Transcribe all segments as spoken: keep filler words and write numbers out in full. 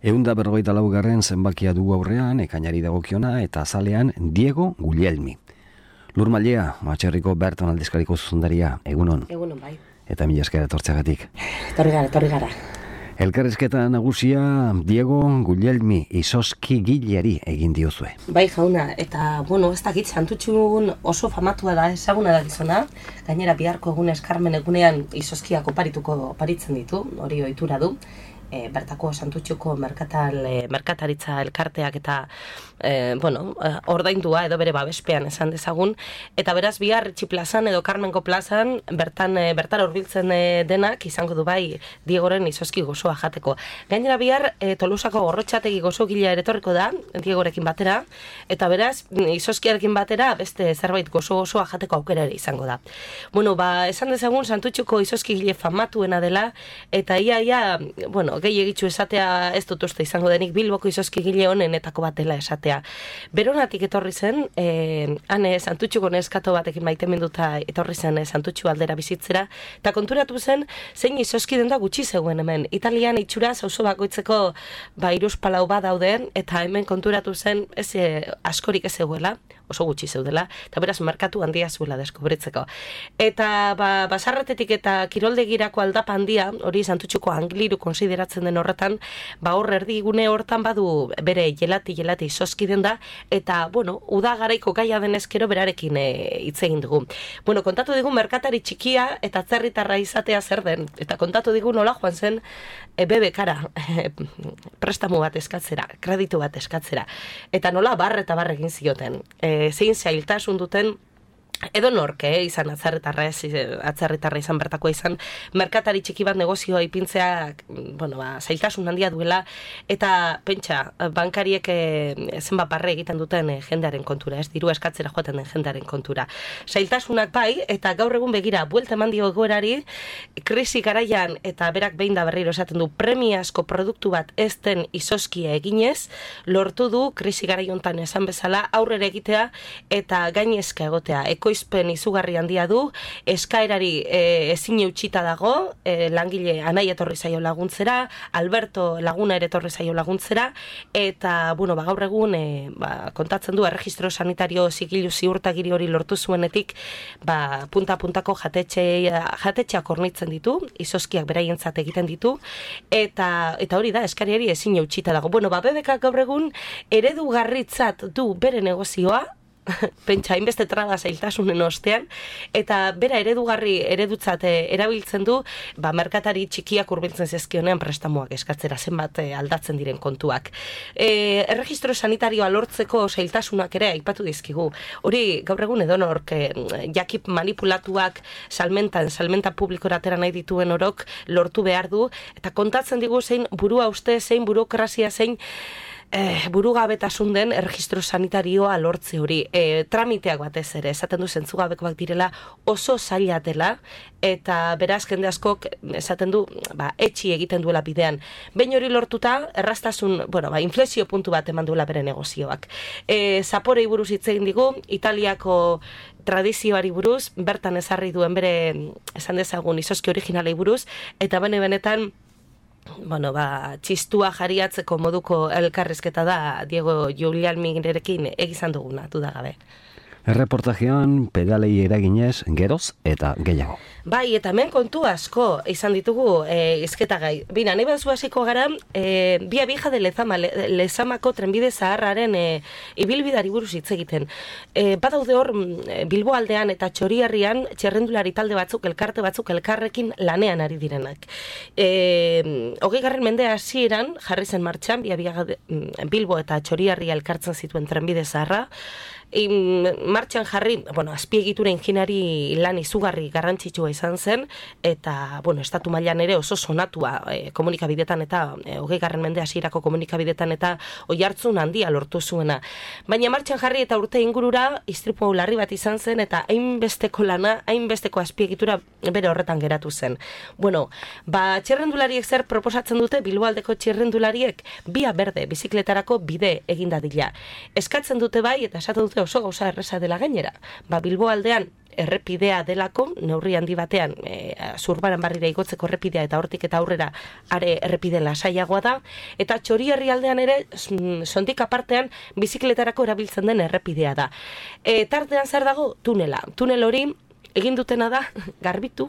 Eunda berrogeita laugarren zenbakia dugu aurrean, ekainari dagokiona eta azalean Diego Guglielmi. Lur Mailea, Matxerriko Berton aldizkariko zuzendaria, egunon. Egunon, bai. Eta mila esker etortzeagatik. Etorri gara, etorri gara. Elkarrizketa nagusia Diego Guglielmi izozki gileari egin diozue. Bai, jauna, eta, bueno, ez dakit, Santutxun oso famatua da, ezaguna da gizona. Gainera, biharko egunez, Carmen egunean izozkiak oparituko oparitzen ditu, hori ohitura du. E, bertako Santutxuko merkatal, e, merkataritza elkarteak eta e, bueno, e, ordaindua edo bere babespean esan dezagun, eta beraz bihar Itxi plazan edo Carmenko plazan bertan e, bertara hurbiltzen e, denak izango du bai Diegoren izozki gozoa jateko. Gainera bihar e, Tolosako Gorrotxategi gozogilea ere etorriko da Diegorekin batera, eta beraz izozkiarekin batera beste zerbait gozo gozoa jateko aukera ere izango da. Bueno, ba, esan dezagun Santutxuko izozkigile famatuena dela, eta ia ia, bueno, gehi egitzu esatea ez dut uste izango denik Bilboko izozkigile honenetako bat dela esatea. Beronatik etorri zen, eh, hane Santutxuko neskato batekin maiteminduta etorri zen eh, Santutxu aldera bizitzera, eta konturatu zen zein izozki den da gutxi zegoen hemen. Italian itxura auzo bakoitzeko ba hiruzpalau bat dauden, eta hemen konturatu zen ez eh, askorik ez zegoela, oso gutxi zeudela, eta beraz merkatu handia zuela deskubritzeko. Eta ba, basarretetik eta kiroldegirako aldapa handia, hori Santutxuko Angliru konsideratzen den horretan, ba hor erdigune hortan badu bere jelati jelati izozki den da, eta bueno, uda garaiko gaia denezkero berarekin hitz egin dugu. Bueno, kontatu digu merkatari txikia eta atzerritarra izatea zer den, eta kontatu digu nola joan zen e, bebekara e, prestamu bat eskatzera, kreditu bat eskatzera, eta nola bar eta bar egin zioten. E, zein zailtasun duten edo norke, eh, izan atzerritarra ez, atzerritarra izan bertakoa izan, merkatari txiki bat negozioa ipintzea, bueno, ba, zailtasun handia duela, eta pentsa, bankariek eh, zenbat barre egiten duten eh, jendearen kontura, ez diru eskatzera joaten den jendearen kontura. Zailtasunak bai, eta gaur egun begira, buelta eman dio egoerari, krisi garaian, eta berak behin da berriro esaten du, premiazko produktu bat ez den izozkia eginez, lortu du, krisi garaiontan esan bezala, aurrera egitea, eta gainezka egotea, ekoizpen izugarri handia du, eskaerari e, ezin eutxita dago, e, langile Anai etorri zaio laguntzera, Alberto laguna ere etorri zaio laguntzera, eta, bueno, ba, gaur egun, e, ba, kontatzen du, erregistro sanitario zigilu ziurtagiri hori lortu zuenetik, ba, punta-puntako jatetxeak hornitzen ditu, izozkiak beraientzat egiten ditu, eta, eta hori da, eskariari ezin eutxita dago. Bueno, ba, bebekak gaur egun eredugarritzat du bere negozioa, pentsa, hainbeste traba zailtasunen ostean, eta bera eredugarri eredutzat erabiltzen du, ba, merkatari txikiak hurbiltzen zezkionean prestamuak eskatzera zenbat aldatzen diren kontuak. E, erregistro sanitarioa lortzeko zailtasunak ere aipatu dizkigu. Hori gaur egun edonork jakip manipulatuak salmentan, salmenta publikora atera nahi dituen orok lortu behar du, eta kontatzen digu zein burua uste, zein burokrazia, zein Eh, burugabetasun den erregistro sanitarioa lortze hori. Eh, tramiteak batez ere, esaten du zentzugabekoak direla oso zaila dela, eta beraz jende askok esaten du, ba, etxi egiten duela bidean. Behin hori lortuta, erraztasun, bueno, ba, inflexio puntu bat eman duela bere negozioak. Eh, Zaporei buruz hitz egin digu, Italiako tradizioari buruz, bertan ezarri duen bere, esan dezagun, izozki originalei buruz, eta bene benetan, bueno, ba, txistua jariatzeko moduko elkarrizketa da Diego Guglielmirekin egizan duguna, dudagabe. Erreportajean pedalei eraginez geroz eta gehiago. Bai, eta hemen kontu asko izan ditugu e, izketa gai. Bina, nahi bazu hasiko gara, e, Bia Vieja de Lezama, Le, Lezamako trenbide zaharraren e, ibilbidari buruz hitz egiten. E, badaude hor, Bilbo aldean eta Txorierrian txerrendulari talde batzuk, elkarte batzuk elkarrekin lanean ari direnak. E, hogei garren mende hasieran jarri zen martxan, Bia Vieja de, Bilbo eta Txorierria elkartzen zituen trenbide zaharra, In, martxan jarri, bueno, azpiegitura inginari lan izugarri garrantzitsua izan zen, eta, bueno, estatu mailan ere oso sonatua e, komunikabidetan eta e, hogei garren mende hasierako komunikabidetan eta oihartzun handia lortu zuena. Baina martxan jarri eta urte ingurura istripu larri bat izan zen, eta hainbesteko lana, hainbesteko azpiegitura bere horretan geratu zen. Bueno, ba, txerrendulariek zer proposatzen dute, Bilboaldeko txerrendulariek, bia berde bizikletarako bide egin dadila. Eskatzen dute bai, eta esaten dute oso gauza erreza dela gainera. Ba, Bilbo aldean errepidea delako, neurri handi batean, e, Zurbaran barrira igotzeko errepidea eta hortik eta aurrera are errepide lasaiagoa da, eta Txori herrialdean ere, sondik apartean, bizikletarako erabiltzen den errepidea da. E, tartean zer dago? Tunela. Tunel hori, egin dutena da, garbitu,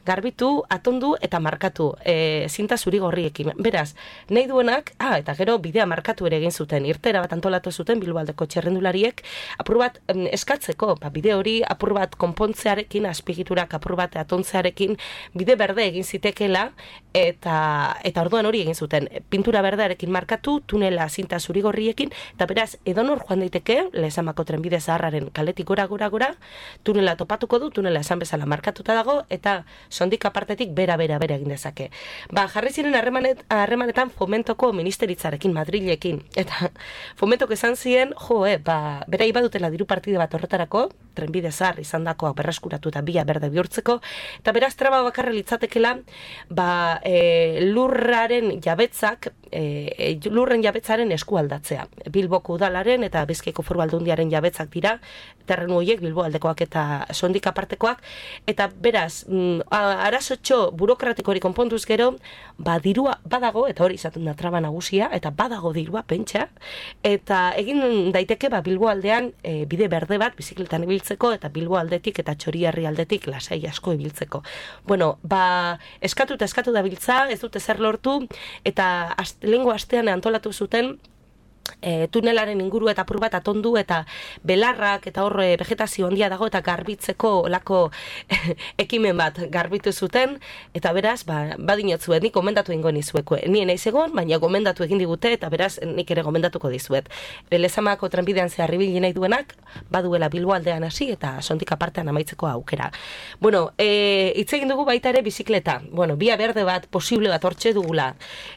garbitu, atondu eta markatu, e, zinta zuri gorriekin. Beraz, nahi duenak, ah, eta gero bidea markatu ere egin zuten, irtera bat antolatu zuten Bilboaldeko txerrendulariek, apur bat em, eskatzeko, ba, bide hori apur bat konpontzearekin, azpigiturak apur bat atontzearekin, bide berde egin zitekela, eta eta orduan hori egin zuten. Pintura berdearekin markatu, tunela zinta zuri gorriekin, eta beraz, edonor joan daiteke, Lezamako trenbide zaharraren kaletik gora gora gora, tunela topatuko du, tunela esan bezala markatuta dago, eta sondik apartetik bera, bera, bera egin dezake. Ba, jarri ziren harremanet, harremanetan Fomentoko ministeritzarekin, Madrilekin, eta Fomentok esan zien, jo, eh, ba, bera ibadutela diru partide bat horretarako, trenbide zahar izan dakoa berreskuratu eta bia berde bihurtzeko, eta beraz traba bakarra litzatekela, ba, e, lurraren jabetzak, e, lurren jabetzaren eskualdatzea. Bilboko udalaren eta Bizkaiko Foru Aldundiaren jabetzak dira, terrenu horiek Bilbo aldekoak eta sondik apartekoak, eta beraz, arazotxo burokratiko hori konpontuz gero, ba, dirua badago, eta hori izaten da traba nagusia, eta badago dirua pentsa, eta egin daiteke ba, Bilbo aldean e, bide berde bat bizikletan ibiltzeko, eta Bilbo aldetik eta Txori herri aldetik lasai asko ibiltzeko. Bueno, ba, eskatu eta eskatu da biltza, ez dute zer lortu, eta ast, lehengo astean antolatu zuten, E, tunelaren inguru eta apur bat atondu eta belarrak eta horre vegetazio handia dago eta garbitzeko olako ekimen bat garbitu zuten, eta beraz, ba, badinotzuet, nik gomendatu ingo nizueko. Nien naiz egon, baina gomendatu egin digute, eta beraz, nik ere gomendatuko dizuet. Lezamako trenbidean zehar ibili nahi duenak, baduela Bilbo aldean hasi eta sondik apartean amaitzeko aukera. Bueno, e, hitz egin dugu baita ere bizikleta. Bueno, bia berde bat, posible bat hortxe dugula.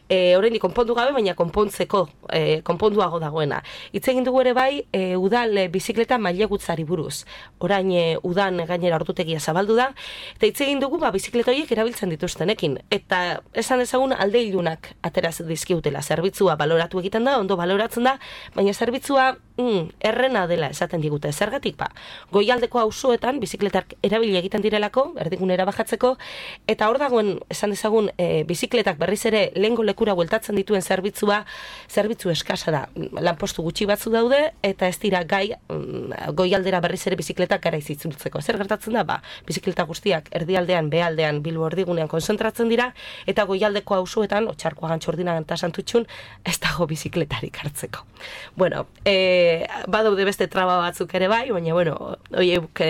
E, Horrein konpondu gabe, baina konpontzeko, e, konponduago dagoena. Hitz egin dugu ere bai, e, udal e, bizikleta mailegutzari buruz. Orain e, udan gainera ordutegia zabaldu da, eta hitz egin dugu ba, bizikleta horiek erabiltzen dituztenekin. Eta esan dezagun alde ilunak ateraz dizkiutela. Zerbitzua baloratu egiten da, ondo baloratzen da, baina zerbitzua mm, errena dela esaten digute. Zergatik ba, goialdeko auzoetan bizikletak erabili egiten direlako, erdigunera bajatzeko, eta hor dagoen esan dezagun e, bizikletak berriz ere lehengo lekura bueltatzen dituen zerbitzua, zerbitzu eskasa da. Lanpostu gutxi batzu daude, eta ez dira gai goialdera berriz ere bizikletak gara izitzultzeko. Zer gertatzen da, ba, bizikleta guztiak erdialdean, behaldean, Bilbo erdigunean konzentratzen dira, eta goialdeko auzoetan, Otxarkoagan, Txordinan eta Santutxun, ez dago bizikletarik hartzeko. Bueno, e, badaude beste traba batzuk ere bai, baina, bueno, oiek,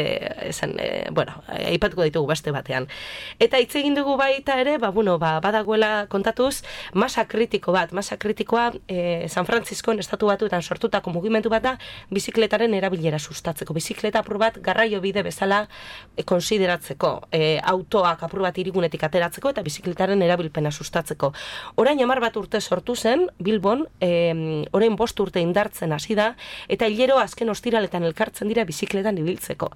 esan, e, bueno, aipatuko ditugu beste batean. Eta hitz egin dugu baita ere, ba, bueno, ba, badagoela kontatuz, masa kritiko bat, masa kritikoa, e, San Francisco estatu batuetan sortutako mugimendu bat da bizikletaren erabilera sustatzeko. Bizikleta apur bat garraio bide bezala e, konsideratzeko, e, autoak apur bat irigunetik ateratzeko eta bizikletaren erabilpena sustatzeko. Orain hamar bat urte sortu zen, Bilbon, e, orain bost urte indartzen hasi da, eta hilero azken ostiraletan elkartzen dira bizikletan ibiltzeko.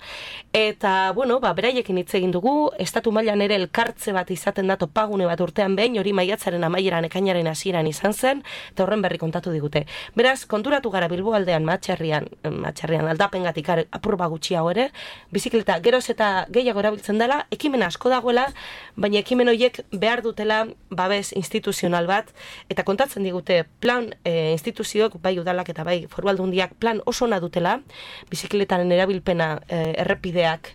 Eta, bueno, ba, beraiekin hitz egin dugu, estatu mailan ere elkartze bat izaten da topagune bat urtean behin, hori maiatzaren amaieran ekainaren hasieran izan zen, eta horren berri kontatu digute. Beraz, konturatu gara Bilbo aldean, matxarrian, matxarrian aldapengatik apurba gutxiago ere, bizikleta geroz eta gehiago erabiltzen dela, ekimen asko dagoela, baina ekimen horiek behar dutela babes instituzional bat, eta kontatzen digute plan e, instituzioak, bai udalak eta bai Foru Aldundiak plan oso ona dutela, bizikletaren erabilpena e, errepideak,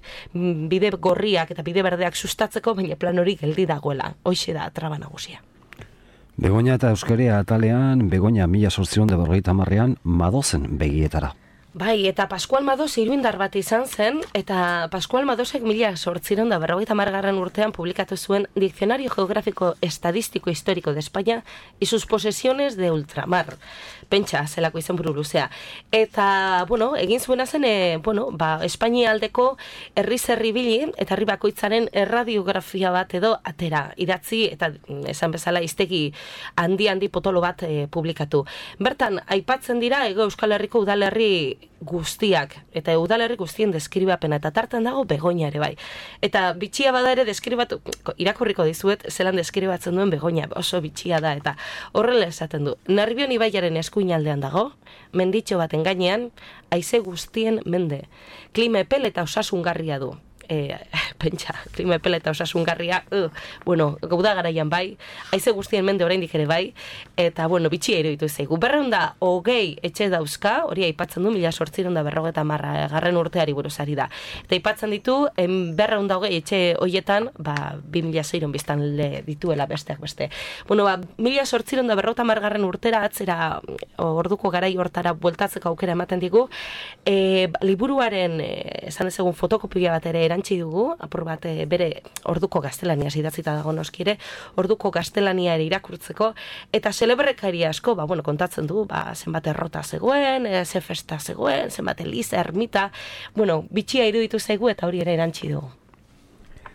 bide gorriak eta bide berdeak sustatzeko, baina plan hori geldi dagoela, hoixe da traba nagusia. Begoña eta Euskaria atalean, Begoña mila sortzion de berrogeita hamarrean madozen begietara. Bai, eta Pascual Madoz iruindar bat izan zen, eta Pascual Madozek mila sortziron da berrogeita hamargarren urtean publikatu zuen Diccionario Geográfico Estadístico Histórico de España y sus posesiones de ultramar. Pentsa, zelako izan buru luzea. Eta, bueno, egin zuena zen, e, bueno, ba, Espainia aldeko herri zerri bili, eta herri bakoitzaren erradiografia bat edo atera, idatzi, eta esan bezala iztegi handi-handi potolo bat e, publikatu. Bertan, aipatzen dira, Ego Euskal Herriko udalerri guztiak, eta udalerri guztien deskribapena, eta tartan dago Begoña ere bai. Eta bitxia bada ere deskribatu, irakurriko dizuet, zelan deskribatzen duen Begoña, oso bitxia da, eta horrela esaten du. Nerbion ibaiaren eskuinaldean dago, menditxo baten gainean, haize guztien mende. Klima epel eta osasungarria du. E, pentsa, klima epel eta osasungarria, uh, bueno, gauda garaian bai, haize guztien mende oraindik ere bai, eta, bueno, bitxia iruditu zaigu. Berreun da, hogei etxe dauzka, hori aipatzen du, mila sortziron da berrogeta marra, garren urteari buruzari da. Eta aipatzen ditu, berreun da hogei etxe hoietan, ba, bi mila zeiron biztan le dituela besteak beste. Bueno, ba, mila sortziron da berrogeta margarren urtera, atzera orduko garai hortara bueltatzeko aukera ematen digu, e, liburuaren, e, esan ezegun fotokopia bat ere erantzi dugu, apur bat e, bere orduko gaztelania idatzita dago noskire, orduko gaztelania ere irakurtzeko, eta celebrekari asko, ba, bueno, kontatzen du, ba, zenbat errota zegoen, e, ze festa zegoen, zenbat eliza, ermita, bueno, bitxia iruditu zaigu eta hori ere erantzi dugu.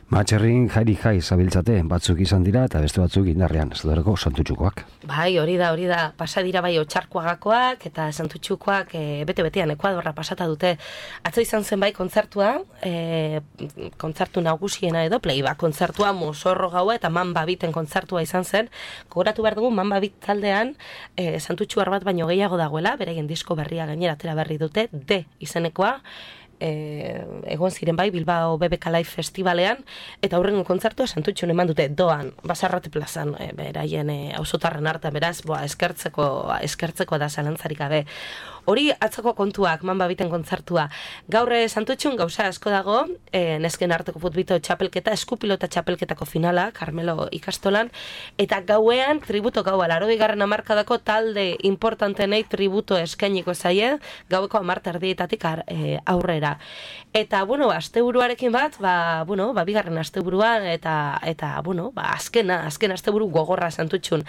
Matxerrin jairi jai zabiltzate, batzuk izan dira eta beste batzuk indarrean, ez dut santutxukoak. Bai, hori da, hori da, pasa dira bai otxarkoagakoak eta santutxukoak e, bete-betean Ekuadorra pasata dute. Atzo izan zen bai kontzertua, e, kontzertu nagusiena edo, playback kontzertua, Mozorro gaua eta Mamba Biten kontzertua izan zen. Gogoratu behar dugu, Mamba Bit taldean e, santutxuar bat baino gehiago dagoela, beraien disko berria gainera atera berri dute, D izenekoa, E, egon ziren bai Bilbao B B K Live Festivalean eta aurrengo kontzertua santutxun eman dute doan, Basarrate plazan, e, beraien e, auzotarren artean, beraz, boa, eskertzeko, eskertzeko da zalantzarik gabe. Hori atzoko kontuak, Mamba Biten kontzertua. Gaur santutxun gauza asko dago, e, nesken arteko futbito txapelketa, eskupilota txapelketako finala, Carmelo ikastolan, eta gauean tributo gaua, larogei garren hamarkadako talde importantenei tributo eskainiko zaie, gaueko hamarta erdietatik e, aurrera. Eta, bueno, asteburuarekin bat, ba, bueno, ba, bigarren asteburuan, eta, eta, bueno, ba, azkena, azken asteburu gogorra santutxun.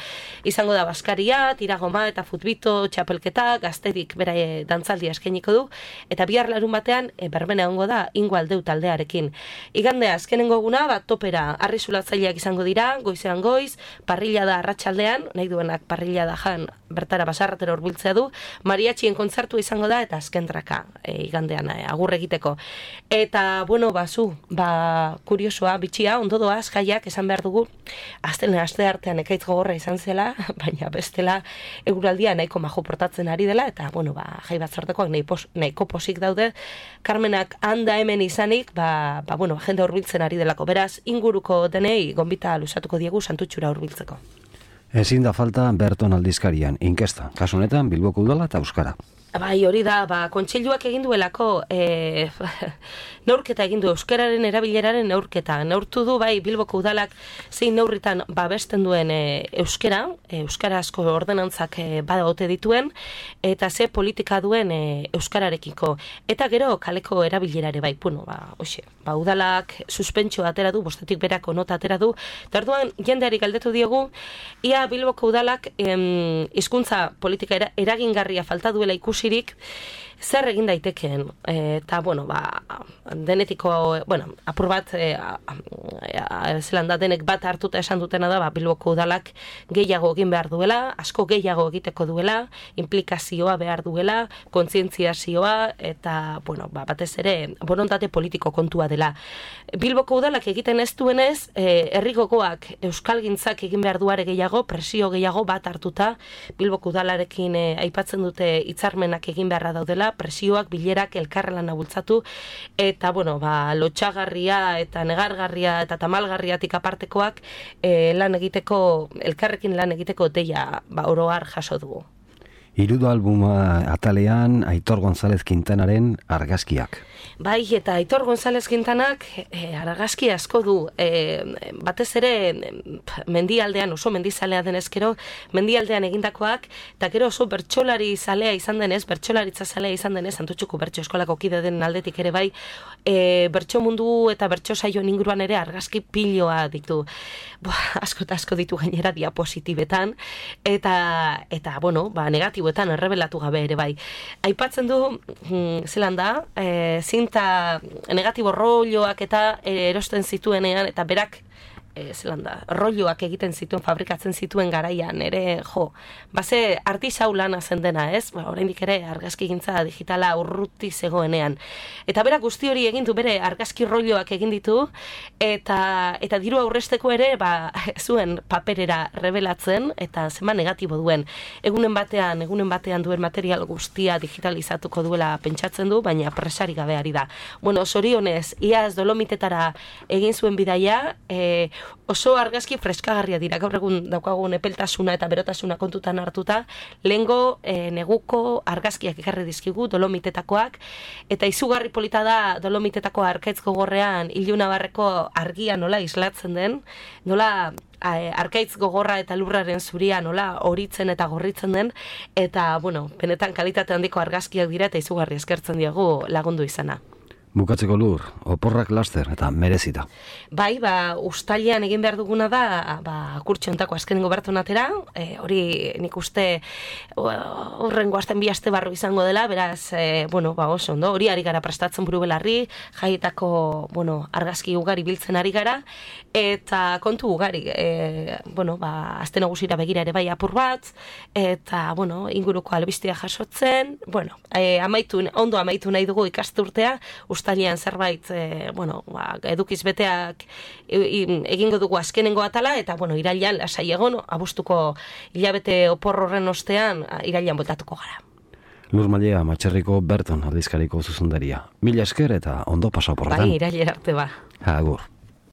Izango da Baskaria, tiragoma eta futbito txapelketa, gazterik bera e, dantzaldia eskainiko du, eta bihar larun batean e, berbena ongo da ingo aldeu taldearekin. Igande azkenengo eguna, bat topera arrizulatzaileak izango dira, goizean goiz, parrilla da arratsaldean, nahi duenak parrilla da jan, bertara Basarratera hurbiltzea du, mariatxien kontzertu izango da, eta azkentraka e, igandean e, agur egiteko. Eta, bueno, bazu, ba, kuriosoa, bitxia, ondo doaz, jaiak, esan behar dugu, azten aste artean ekaitz gogorra izan zela, baina bestela eguraldia nahiko majo portatzen ari dela, eta, bueno, ba, jai bat sortekoak nahiko posik daude, Carmenak handa hemen izanik, ba, ba bueno, jende hurbiltzen ari delako, beraz, inguruko denei gonbita luzatuko diegu santutxura hurbiltzeko. Ezin da falta Berton aldizkarian, inkesta, kasu honetan Bilboko udala eta euskara. Bai, hori da, ba, kontseiluak egin duelako, e, neurketa egin du, euskararen erabileraren neurketa. Neurtu du, bai, Bilboko udalak zein neurritan babesten duen e, euskara, e, euskarazko ordenantzak e, bada ote dituen, eta ze politika duen e, euskararekiko. Eta gero, kaleko erabilerare, bai, bueno, ba, hoxe, ba, udalak suspentsio atera du, bostetik berako nota atera du, eta orduan jendeari galdetu diogu, ia Bilboko udalak em, hizkuntza politika era, eragingarria falta duela ikusi Sirik, zer egin daitekeen, eta, bueno, ba, denetiko, bueno, apur bat, e, zelan da, denek bat hartuta esan dutena da, ba, Bilboko udalak gehiago egin behar duela, asko gehiago egiteko duela, implikazioa behar duela, kontzientziazioa, eta, bueno, ba, batez ere, borontate politiko kontua dela. Bilboko udalak egiten ez duenez, e, herrigogoak euskalgintzak egin behar duare gehiago, presio gehiago bat hartuta, Bilboko udalarekin e, aipatzen dute hitzarmenak egin beharra daudela, presioak, bilerak, elkarrelana bultzatu, eta, bueno, ba, lotxagarria eta negargarria eta tamalgarriatik apartekoak e, lan egiteko, elkarrekin lan egiteko deia, ba, oroar jaso dugu. Hirudo albuma atalean Aitor González Quintanaren argazkiak. Bai, eta Aitor González Quintanak e, argazki asko du, e, batez ere mendialdean, oso mendizalea denezkero, mendialdean egindakoak, eta gero oso bertsolari zalea izan denez, bertsolaritza zalea izan denez, Santutxuko bertso eskolako kide den aldetik ere bai, e, bertso mundu eta bertso saioen inguruan ere argazki piloa ditu. Boa, asko eta asko ditu gainera diapositibetan, eta, eta bueno, ba, negatiboetan errebelatu gabe ere bai. Aipatzen du, mm, zelan da, e, zinta negatibo rolloak eta erosten zituenean, eta berak e, zelanda, rolloak egiten zituen, fabrikatzen zituen garaian, ere, jo, base artisau lana zen dena, ez? Ba, oraindik ere argazkigintza digitala urruti zegoenean. Eta berak guzti hori egin du, bere argazki rolloak egin ditu, eta eta diru aurresteko ere, ba, zuen paperera revelatzen, eta zema negatibo duen. Egunen batean, egunen batean duen material guztia digitalizatuko duela pentsatzen du, baina presari gabe ari da. Bueno, zorionez, iaz Dolomitetara egin zuen bidaia, e, oso argazki freskagarria dira, gaur egun daukagun epeltasuna eta berotasuna kontutan hartuta, lehengo e, neguko argazkiak ekarri dizkigu Dolomitetakoak, eta izugarri polita da Dolomitetako arkaitz gogorrean Iluna Barreko argia nola islatzen den, nola arkaitz gogorra eta lurraren zuria nola horitzen eta gorritzen den, eta, bueno, benetan kalitate handiko argazkiak dira eta izugarri eskertzen diegu lagundu izana. Bukatzeko Lur, oporrak laster eta merezita. Bai, ba, ustailean egin behar duguna da, ba, kurtxontako azkenengo bertonatera, e, hori nik uste horrengo azten bi aste barru izango dela, beraz, e, bueno, ba, oso ondo, hori ari gara prestatzen buru belarri, jaietako, bueno, argazki ugari biltzen ari gara, eta kontu ugari, e, bueno, ba, azten nagusira begira ere bai apur bat, eta, bueno, inguruko albistia jasotzen, bueno, e, amaitu, ondo amaitu nahi dugu ikasturtea, ustailean zerbait, e, bueno, ba, edukiz beteak egingo dugu azkenengo atala, eta, bueno, irailean lasai egon, abuztuko hilabete opor horren ostean, irailean botatuko gara. Lur Mallea, Matxerriko Berton aldizkariko zuzendaria. Mila esker eta ondo pasa oporretan. Bai, irailera arte ba. Agur.